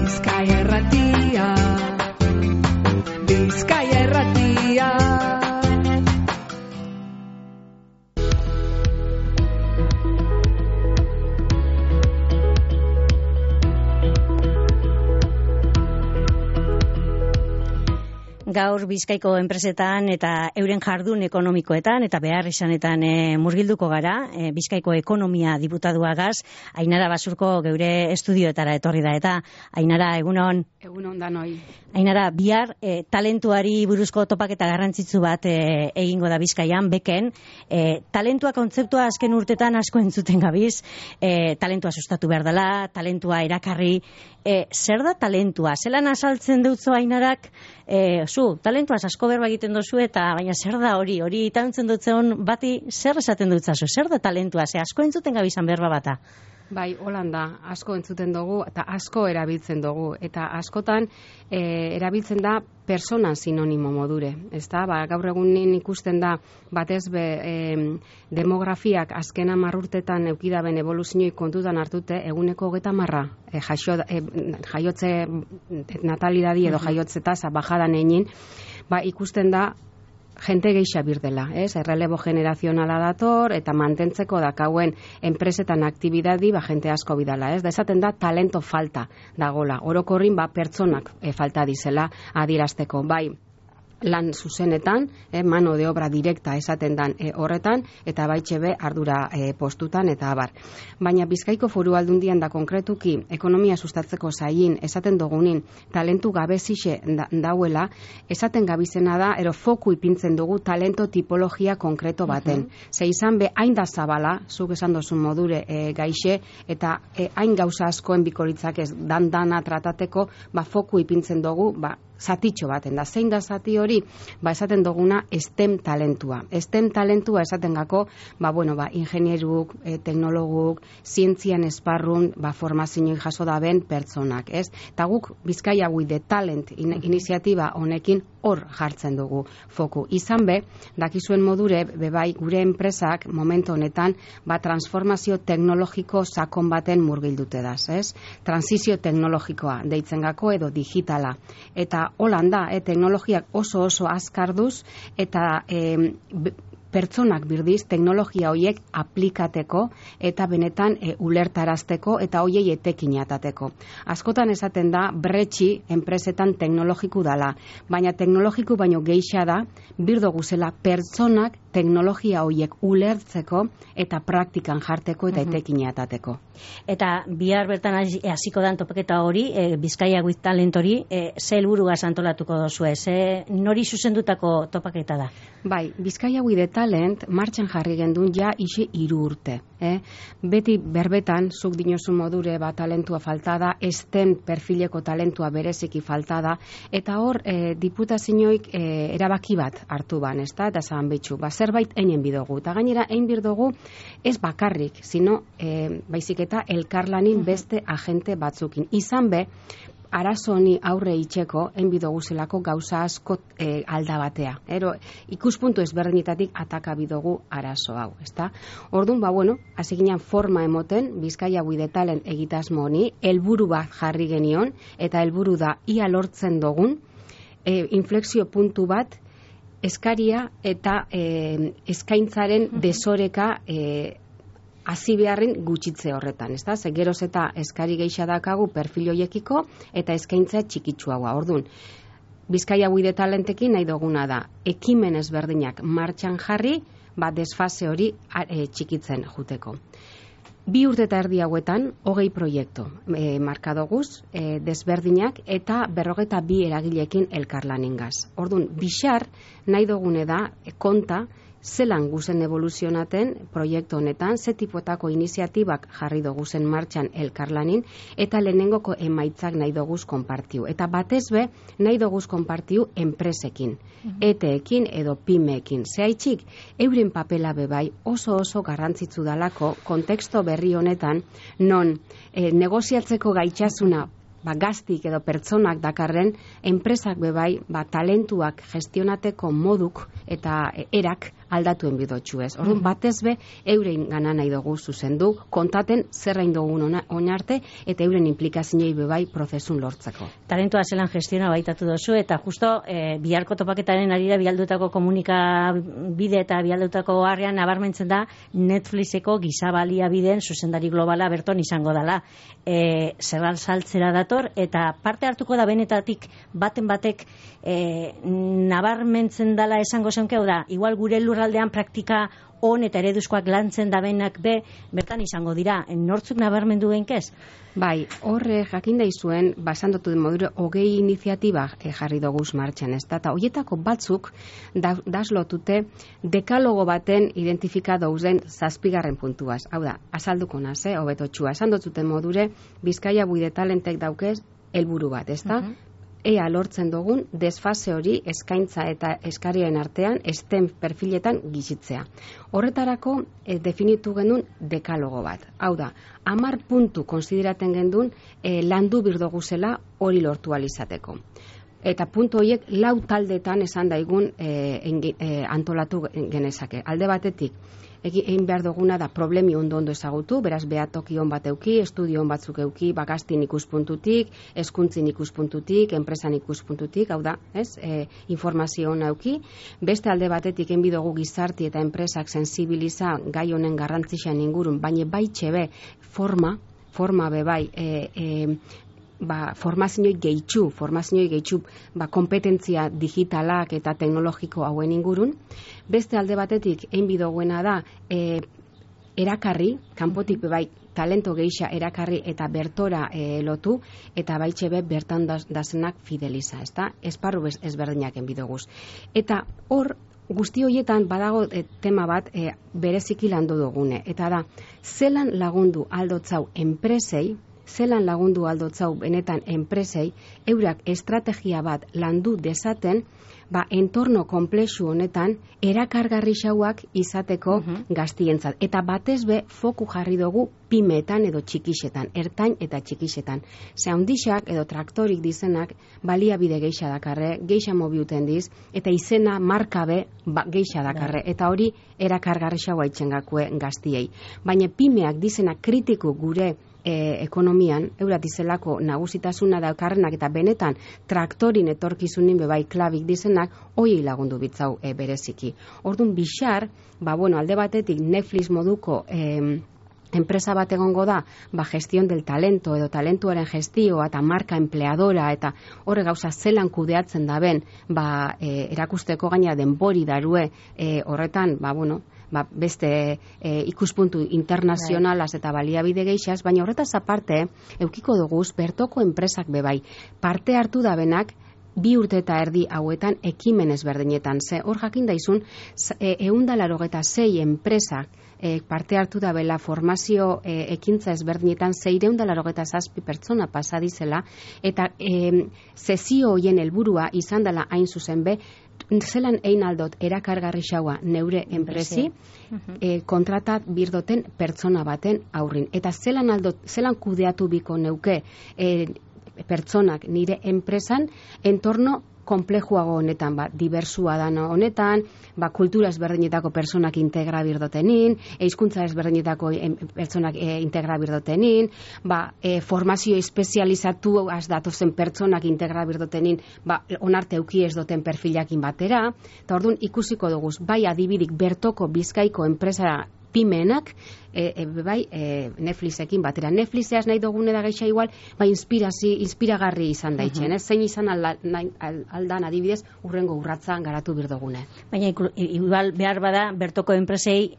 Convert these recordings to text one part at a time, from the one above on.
Bizkaia Irratia, Bizkaia Irratia. Gaur Bizkaiko enpresetan eta euren jardun ekonomikoetan eta behar izanetan murgilduko gara. Bizkaiko ekonomia diputaduagaz, Ainara Basurko geure estudioetara etorri da. Eta Ainara, egunon? Egunon danoi. Ainara, bihar talentuari buruzko topaketa garrantzitsu bat egingo da Bizkaian, beken. Talentua kontzeptua azken urtetan asko entzuten gabiz. Talentua sustatu behar dela, talentua erakarri. Zer da talentua? Zelan azaltzen dutzo Ainarak? Talentuaz asko berba egiten dozu eta baina zer da hori itantzen dutzen bati zer esaten dutzazu, zer da talentua, asko entzuten gabizan berba bata? Bai, Holanda, asko entzuten dugu eta asko erabiltzen dugu eta askotan erabiltzen da persona sinonimo modure, ezta? Gaur egunin ikusten da batez demografiak azken 10 urtetan eukidaben evoluzioi kontutan hartute eguneko 30 jaiotze natalidadi edo jaiotze tasa bajadan egin, ikusten da jente geixa birdela, errelebo generazionala dator eta mantentzeko dakauen enpresetan aktibidadi jente asko bidala, da esaten da talento falta dagola, orokorrin pertsonak falta dizela adierazteko, bai lan zuzenetan, mano de obra direkta esaten dan horretan, eta baitxebe ardura postutan eta abar. Baina Bizkaiko Foru Aldundian da konkretuki ekonomia sustatzeko zain esaten dugunin talentu gabezixe dauela, esaten gabizena da, foku ipintzen dugu talento tipologia konkreto baten. Ze izan be, hain da zabala, zuk esan dozun modure gaixe, eta hain gauza askoen bikoritzak ez dana tratateko, foku ipintzen dugu, zatitxo baten da. Zein da zati hori? Esaten duguna STEM talentua. STEM talentua esaten gako, ingenieruk, teknologuk, zientzian esparrun, formazioi jaso daben pertsonak, ez? Eta guk Bizkaia with the Talent iniziatiba honekin hor jartzen dugu foku. Izan be, dakizuen modure, bebai gure enpresak momentu honetan, transformazio teknologiko sakon baten murgildute daz, ez? Transizio teknologikoa deitzen gako edo digitala. Eta Holanda, teknologiak oso azkarduz eta pertsonak birdiz teknologia horiek aplikateko eta benetan ulertarazteko eta hoiei etekin atateko. Askotan esaten da bretxi enpresetan teknologiku dala, baina teknologiku baino geixa da birdo guzela pertsonak teknologia horiek ulertzeko eta praktikan jarteko eta etekin atateko. Eta bihar bertan hasiko dan topaketa hori, Bizkaia with Talent hori, ze helburugaz antolatuko dozu, nori zuzendutako topaketa da? Bai, Bizkaia with Talent martxan jarri gendun ise 3 urte. Beti berbetan, zuk dinozu modure talentua falta da, STEM perfileko talentua bereziki falta da, eta hor diputazioik erabaki bat hartu ban, eta zan betxu, zerbait einen bidogu. Eta gainera, ein birdogu ez bakarrik, sino baizik eta elkarlanin beste agente batzukin. Izan be, arazo honi aurre itxeko, enbidogu zelako gauza asko alda batea. Ikuspuntu ezberdinetatik ataka bidogu arazo hau, ezta? Orduan, hasi ginen forma emoten, Bizkaia with the Talent egitasmo honi, helburu bat jarri genion, eta helburu da ia lortzen dugun, inflexio puntu bat, eskaria eta eskaintzaren desoreka hasi beharren gutxitze horretan, ezta? Ze geroz eta eskari geixa dakagu perfil hoiekiko eta eskaintza txikitsuagoa. Orduan, Bizkaia with the Talentekin nahi duguna da ekimen ezberdinak martxan jarri, desfase hori txikitzen juteko. 2 urte eta erdi hauetan 20 proiektu markadoguz desberdinak eta 42 eragilekin elkarlanengaz. Orduan, bixar nahi dugune da konta zelan guzen evoluzionaten proiektu honetan, ze tipuetako iniziatibak jarri duguzen martxan elkarlanin, eta lehenengoko emaitzak nahi duguz konpartiu. Eta batez be, nahi duguz konpartiu enpresekin, eteekin edo pimeekin. Zehaitxik, euren papela bebai oso garrantzitsu dalako konteksto berri honetan, non negoziatzeko gaitxasuna gaztik edo pertsonak dakarren, enpresak bebai talentuak gestionateko moduk eta erak aldatuen bidotxu ez. Orduan, batez be, euren gana nahi dugu zuzendu, kontaten zerrain dugun oinarte, eta euren implikazioei bebai prozesun lortzeko. Talentua zelan gestiona baitatu dozu, eta justo biharko topaketaren arira bialdutako komunikabide eta bialdutako harrean nabarmentzen da Netflixeko gizabalia bideen zuzendari globala berton izango dela. Zerral saltzera dator, eta parte hartuko da benetatik baten batek nabarmentzen dela esango zenke, da, igual gure lurraldean praktika on eta ereduzkoak lantzen dabenak bertan izango dira. Nortzuk nabarmendu genkez? Bai, horre jakin daizuen, basandotu den modure, 20 iniziatiba jarri doguz martxan, ez da, eta horietako batzuk daslotute dekalogo baten identifika dauzen 7. puntuaz. Hau da, azalduko naz, hobetotxua. Esandotzuten modure, Bizkaia Buide Talentek daukez helburu bat, ez da? Ea lortzen dugun desfase hori eskaintza eta eskarien artean STEM perfiletan gizitzea. Horretarako definitu genuen dekalogo bat. Hau da, 10 puntu konsideraten gendun landu birdoguzela hori lortu alizateko. Eta puntu horiek 4 taldetan esan daigun antolatu genezake. Alde batetik, egin behar duguna da problemi ondo ezagutu, beraz behatoki on bat euki, estudio on batzuk euki, gaztin ikuspuntutik, hezkuntzin ikuspuntutik, enpresan ikuspuntutik, hau da, informazio ona euki. Beste alde batetik egin dugu gizarti eta enpresak sensibiliza gai honen garrantzixan ingurun, baina baitxe forma be bai, formazioik gehitxu, kompetentzia digitalak eta teknologiko hauen ingurun. Beste alde batetik, egin bidoguena da, erakarri, kanpotik bai, talento geisha erakarri eta bertora lotu, eta baitxe bertan dazenak fideliza, ezta? Esparru ezberdinak egin bidoguz. Eta hor, guzti horietan badago tema bat bereziki landu dugune, eta da, zelan lagundu aldotzau enpresei, zelan lagundu aldotzau benetan enpresei, eurak estrategia bat landu dezaten, entorno komplexu honetan erakargarri xauak izateko gaztientzat. Eta batez be foku jarri dugu pimeetan edo txikixetan, ertain eta txikixetan. Ze handixak edo traktorik dizenak baliabide geixa dakarre, geixa mobiuten diz, eta izena markabe geixa dakarre. Eta hori erakargarri xaua itxengakue gaztiei. Baina pimeak dizenak kritiku gure ekonomian, eurat izelako nagusitasuna daukarrenak eta benetan traktorin etorkizunin bebai klabik dizenak, hoi lagundu bitzau bereziki. Orduan bixar, alde batetik Netflix moduko enpresa bat egongo da, gestión del talento edo talentuaren gestioa eta marka empleadora eta horre gauza zelan kudeatzen daben, erakusteko gaina denbori darue horretan, beste ikuspuntu internazionalaz eta baliabide geixaz, baina horretaz aparte, eukiko duguz, bertoko enpresak bebai, parte hartu dabenak, 2 urte eta erdi hauetan ekimen ezberdinetan. Hor jakin daizun, 186 enpresak parte hartu dabela formazio ekintza ezberdinetan 687 pertsona pasadizela, eta sesio hoien helburua izan dela hain zuzen be, zelan egin aldot erakargarri xaua neure enpresi, kontratat birdoten pertsona baten aurrin. Eta zelan kudeatu biko neuke pertsonak nire enpresan entorno komplejuago honetan, diversua dano honetan, kultura ezberdinetako personak integra birdotenin, hizkuntza ezberdinetako pertsonak integra birdotenin, formazio espezializatu datozen pertsonak integra birdotenin, onarte euki ez doten perfilakin batera, eta orduan ikusiko duguz, adibidik bertoko Bizkaiko enpresa pimeenak, Netflixekin batera. Netflixeaz nahi dugune da geixa igual, inspiragarri izan daitzen, zein izan aldan adibidez, urrengo urratza garatu birdogune. Baina igual behar bada, bertoko enpresei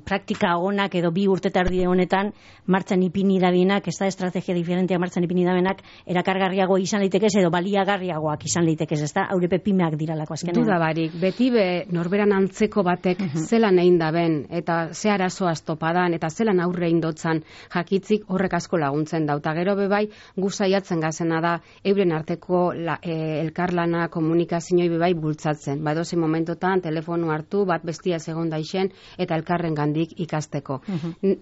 praktika onak edo 2 urte tardi honetan martxan ipini dabinak, ez da estrategia diferentea martxan ipini dabinak, erakargarriago izan leitekez edo baliagarriagoak izan leitekez, ez da, haurepe pimeak diralako azkenean. Duda barik, beti norberan antzeko batek zelan egin daben, eta ze arazoa zoaz topadan, eta zelan aurre indotzan jakitzik horrek asko laguntzen da. Eta gero bebai, gu saiatzen gazena da, euren arteko elkarlana komunikazioa bebai bultzatzen. Ba, edozein momentotan, telefonu hartu, bat bestia segon daixen, eta elkarren gandik ikasteko.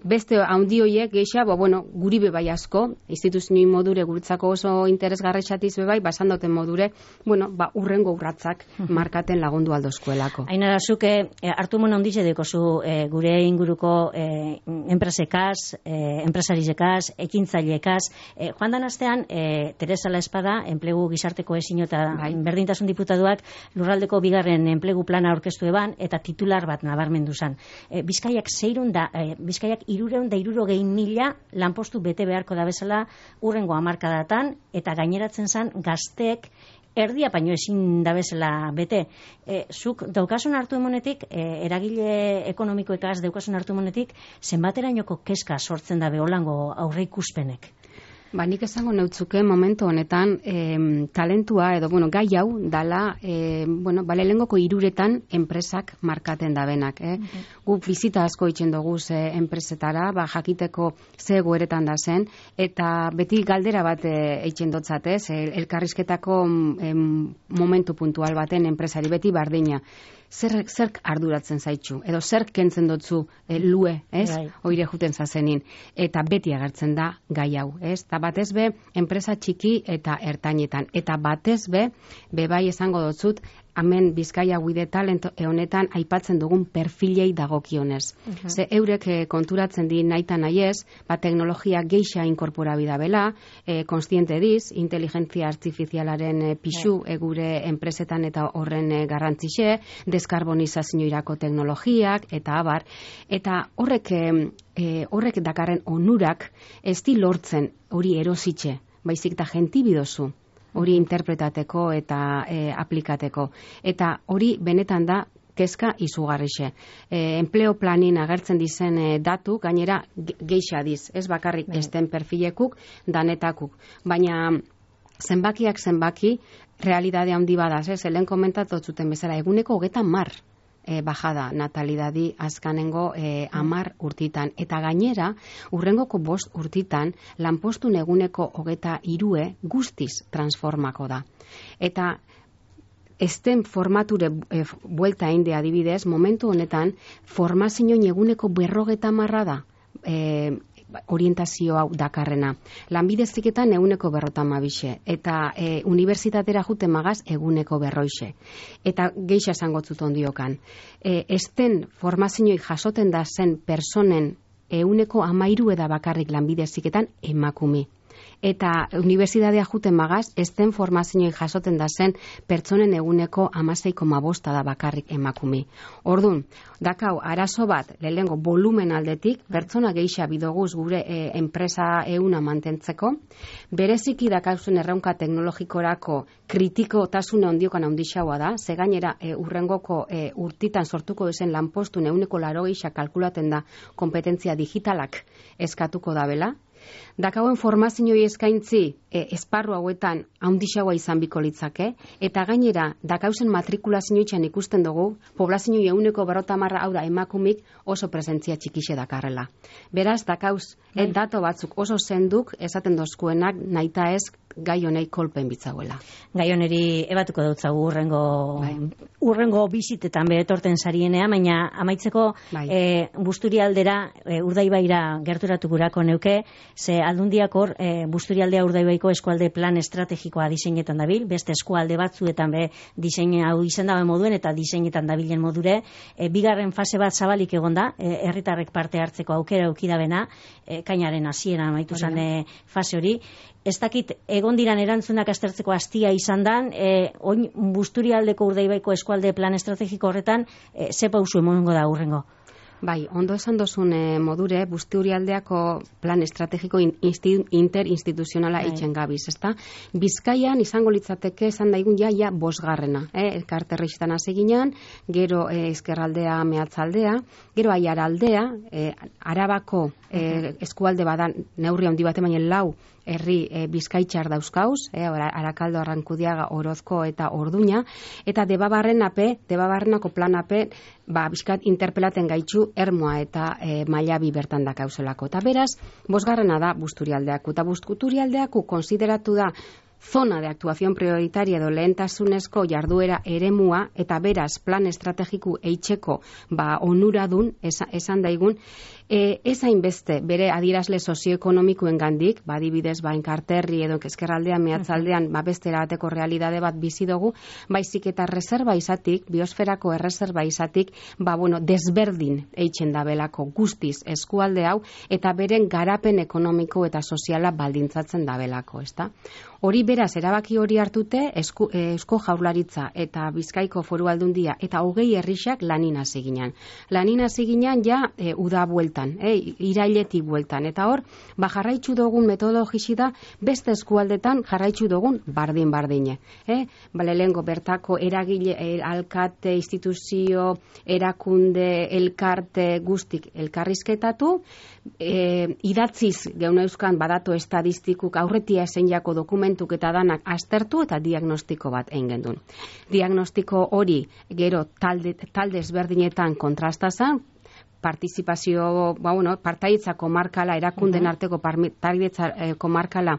Beste handi hoiek geixa, guri bebai asko, instituzioi modure guretzako oso interesgarretxatiz bebai, basan dauten modure, urrengo urratzak markaten lagundu aldozkoelako. Ainara, zuke hartu mon ondize dekozu gure inguruko enpresekaz, enpresarizekaz, ekintzaileekaz. Joan dan astean, Teresa La Espada, enplegu gizarteko ezin eta berdintasun diputatuak lurraldeko bigarren enplegu plana aurkeztu eban, eta titular bat nabarmendu zan. Bizkaiak 360.000 lanpostu bete beharko da bezala urrengo hamarkadatan, eta gaineratzen zan gazteek erdia baino ezin da bezala bete. Zuk daukasun hartu emonetik, eragile ekonomikoekaz daukasun hartu emonetik, zenbaterainoko kezka sortzen da beholango aurre ikuspenek? Nik esango neutzuke momentu honetan talentua edo gai hau dala balelengoko 3 enpresak markaten dabenak. Guk bizita asko itzen dugu enpresetara, jakiteko ze egoeretan da zen, eta beti galdera bat eitzen dotzatez, elkarrizketako momentu puntual baten enpresari beti bardina. Zerk arduratzen zaitxu, edo zerk kentzen dotzu lue, ez? Oire juten zazenin. Eta beti agertzen da gai hau, ez? Eta batez be, enpresa txiki eta ertainetan. Eta batez be, bebai esango dotzut, hemen Bizkaia Guide Talent honetan aipatzen dugun perfilei dagokionez. Ze eurek konturatzen di naita nahiez, teknologia geixa inkorporabida bela, konstiente diz, inteligentzia artifizialaren pixu gure enpresetan eta horren garrantzixe, deskarbonizazioirako teknologiak, eta abar. Eta horrek dakarren onurak ez di lortzen hori erositxe, baizik da gentibidozu. Hori interpretateko eta aplikateko. Eta hori benetan da kezka izugarrixe. Enpleo planin agertzen dizen datu, gainera geixa diz, ez bakarrik esten perfilekuk, danetakuk. Baina zenbakiak zenbaki, realidade handi badaz, lehen komentatu zuten bezala, eguneko 30 bajada natalidadi azkanengo 10 urtitan. Eta gainera, urrengoko 5 urtitan, lanpostun eguneko 23 guztiz transformako da. Eta esten formature buelta einde adibidez, momentu honetan, formazioin eguneko 50 da orientazio hau dakarrena. Lanbide heziketan eguneko 52, eta unibertsitatera jute magaz eguneko 40. Eta geixa esangotzut ondiokan. Esten formazioik jasoten da zen personen eguneko 13 da bakarrik lanbide heziketan emakume. Eta unibertsitatea juten magaz, esten formazioik jasoten da zen pertsonen eguneko 16,5 da bakarrik emakume. Ordun, dakau, arazo bat, lehengo volumen aldetik, pertsona geixa bidoguz gure enpresa euna mantentzeko, bereziki dakauzen erraunka teknologikorako kritikotasune ondiokan handixaua da, ze gainera urrengoko urtitan sortuko dezen lanpostun eguneko 80 kalkulaten da kompetentzia digitalak eskatuko dabela. Dakauen formazioi eskaintzi esparru hauetan handixaua izan biko litzake, eta gainera dakauzen matrikulazioitxan ikusten dugu, poblazioi eguneko 50 hau da emakumik oso presentzia txikixe dakarrela. Beraz, dakauz, dato batzuk oso zenduk esaten dozkuenak naita ez gai honei kolpen bitzauela. Gai honeri ebatuko dutzagu urrengo bizitetan beretorten sarienea, baina amaitzeko Busturialdera, Urdaibaira gerturatu gurako neuke, ze aldundiak hor Busturialdea Urdaibaiko eskualde plan estrategikoa diseinetan dabil, beste eskualde batzuetan be disein hau izendaben moduen eta diseinetan dabilen modure, bigarren fase bat zabalik egonda, herritarrek parte hartzeko aukera eukidabena, kainaren hasiera amaitu zan fase hori. Ez dakit, egon diran erantzunak aztertzeko hastia izan dan, oin Busturialdeko Urdaibaiko eskualde plan estrategiko horretan, ze pausu emongo da urrengo? Bai, ondo esan dozun modure, Busturialdeako plan estrategiko interinstituzionala eitzen gabiz, ezta? Bizkaian izango litzateke esan daigun ja 5. Elkarterreixetan hasi ginean, gero ezkerraldea mehatzaldea, gero aiaraldea, Arabako eskualde badan neurri handi bat emainen 4 herri bizkaitxar dauzkauz, Arakaldo, Arrankudiaga, Orozko eta Orduña, eta Debabarrenako planape, bizkat interpelaten gaitxu Ermoa eta Mailabi bertan dakauzelako. Eta beraz, 5. da Busturialdeaku, eta Busturialdeaku konsideratu da zona de actuación prioritaria edo lehentasunezko jarduera eremua, eta beraz plan estrategiku eitzeko onuradun esan daigun, ez hainbeste bere adierazle sozioekonomikoen gandik, adibidez enkarterri edo ezkerraldean, mehatzaldean, bestera bateko realidade bat bizi dugu, baizik eta reserva izatik, biosferako erreserba izatik, desberdin eitzen da belako guztiz eskualde hau, eta beren garapen ekonomiko eta soziala baldintzatzen da belako, ezta? Hori beraz, erabaki hori hartute, Eusko Jaurlaritza eta Bizkaiko Foru Aldundia eta 20 herrixak lanin hasi ginen. Lanin hasi ginen ja uda bueltan, irailetik bueltan. Eta hor, jarraitzu dugun metodologisi da beste eskualdetan jarraitzu dugun bardin-bardine. Lehengo bertako eragile, alkate, instituzio, erakunde, elkarte guztik elkarrizketatu, idatziz gehuneuzkan badatu estadistikuk aurretia ezen jako dokumentuk eta danak aztertu eta diagnostiko bat egin gendun. Diagnostiko hori gero talde ezberdinetan kontrastazan, partizipazio, partaitza komarkala, erakunden arteko partaitza komarkala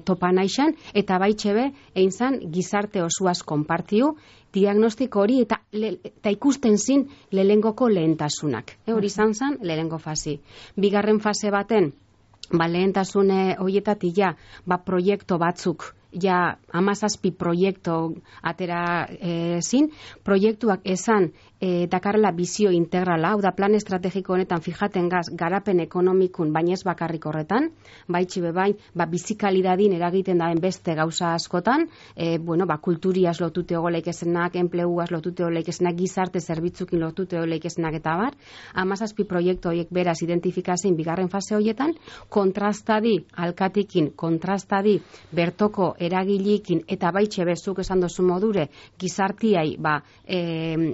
topa naixan, eta baitxebe, egin zan, gizarte osuaz konpartiu, diagnostiko hori eta ikusten zin lehengoko lehentasunak. Hori izan zen, lehengo fasi. Bigarren fase baten, lehentasune horietatik proiektu batzuk, 17 proiektu atera zin, proiektuak esan dakarla bizio integrala, hau da plan estrategiko honetan fijaten gaz garapen ekonomikun, baina ez bakarrik horretan, baitxibe bizikalidadin eragiten daen beste gauza askotan, kulturiaz lotute ogoleik esenak, enpleguaz lotute ogoleik esenak, gizarte zerbitzukin lotute ogoleik esenak eta bar, 17 proiektu horiek beraz identifikazin bigarren fase horietan, kontrastadi alkatikin, kontrastadi bertoko eragilikin eta baitxibe zuk esan dozu modure gizartiai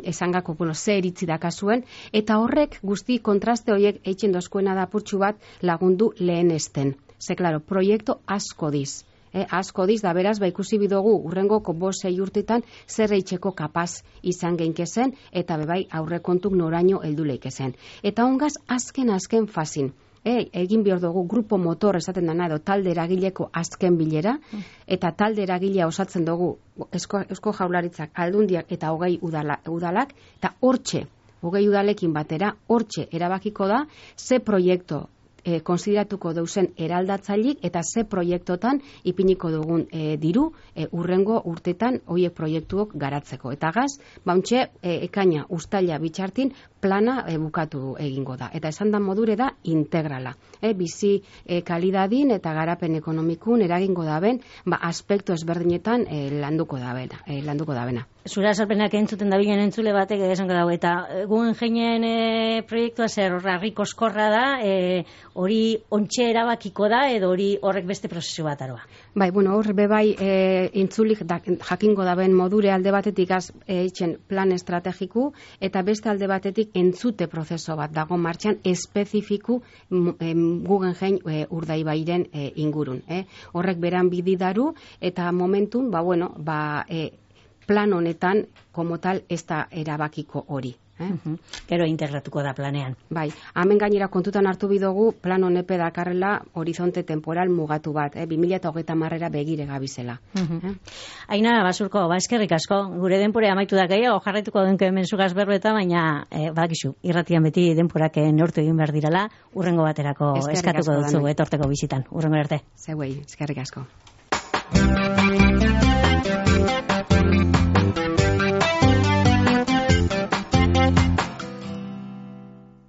esangako ze iritzi dakazuen, eta horrek guzti kontraste horiek eitzen dozkuena da purtsu bat lagundu lehenesten. Ze, klaro, proiektu asko diz. Asko diz, da beraz, ikusi bidogu urrengoko 5-6 urtetan zer eitzeko kapaz izan geinkezen, eta bebai aurrekontuk noraino helduleik ezen. Eta hongaz, azken fazin, egin behar dugu grupo motor esaten dana edo talde eragileko azken bilera, eta talde eragilea osatzen dugu Eusko Jaurlaritzak, Aldundiak eta 20 udalak, eta hortxe, 20 udalekin batera, hortxe erabakiko da, ze proiektu konsideratuko dauzen eraldatzailik eta ze proiektotan ipiniko dugun diru urrengo urtetan hoiek proiektuok garatzeko. Eta gaz, bauntxe ekaina ustaila bitxartin plana bukatu egingo da. Eta esan da modure da integrala. Bizi kalidadin eta garapen ekonomikun eragingo daben, aspektu ezberdinetan landuko dabena. Zura azalpenak entzuten dabilen entzule batek esango dago, eta guen jeinen proiektua zer horri koskorra da, hori ontxe erabakiko da, edo hori horrek beste prozesu bat aroa? Hor bebai entzulik jakingo daben modure alde batetik eitzen plan estrategiku, eta beste alde batetik entzute prozeso bat dago martxan espezifiku Guggenheim Urdaibairen ingurun. Horrek beran bididaru, eta momentun, plan honetan, como tal, ez da erabakiko hori. Gero integratuko da planean. Hemen gainera kontutan hartu bidogu plan honepe dakarrela horizonte temporal mugatu bat, 2030 begire gabizela. Aina, Basurko, eskerrik asko, gure denpore amaitu da gehiago, jarraituko denko hemen zugaz berbeta, baina badakizu, irratian beti denporak neurtu egin behar direla, urrengo baterako eskatuko dutzu etorteko bizitan. Urrengo arte. Zeuei, eskerrik asko.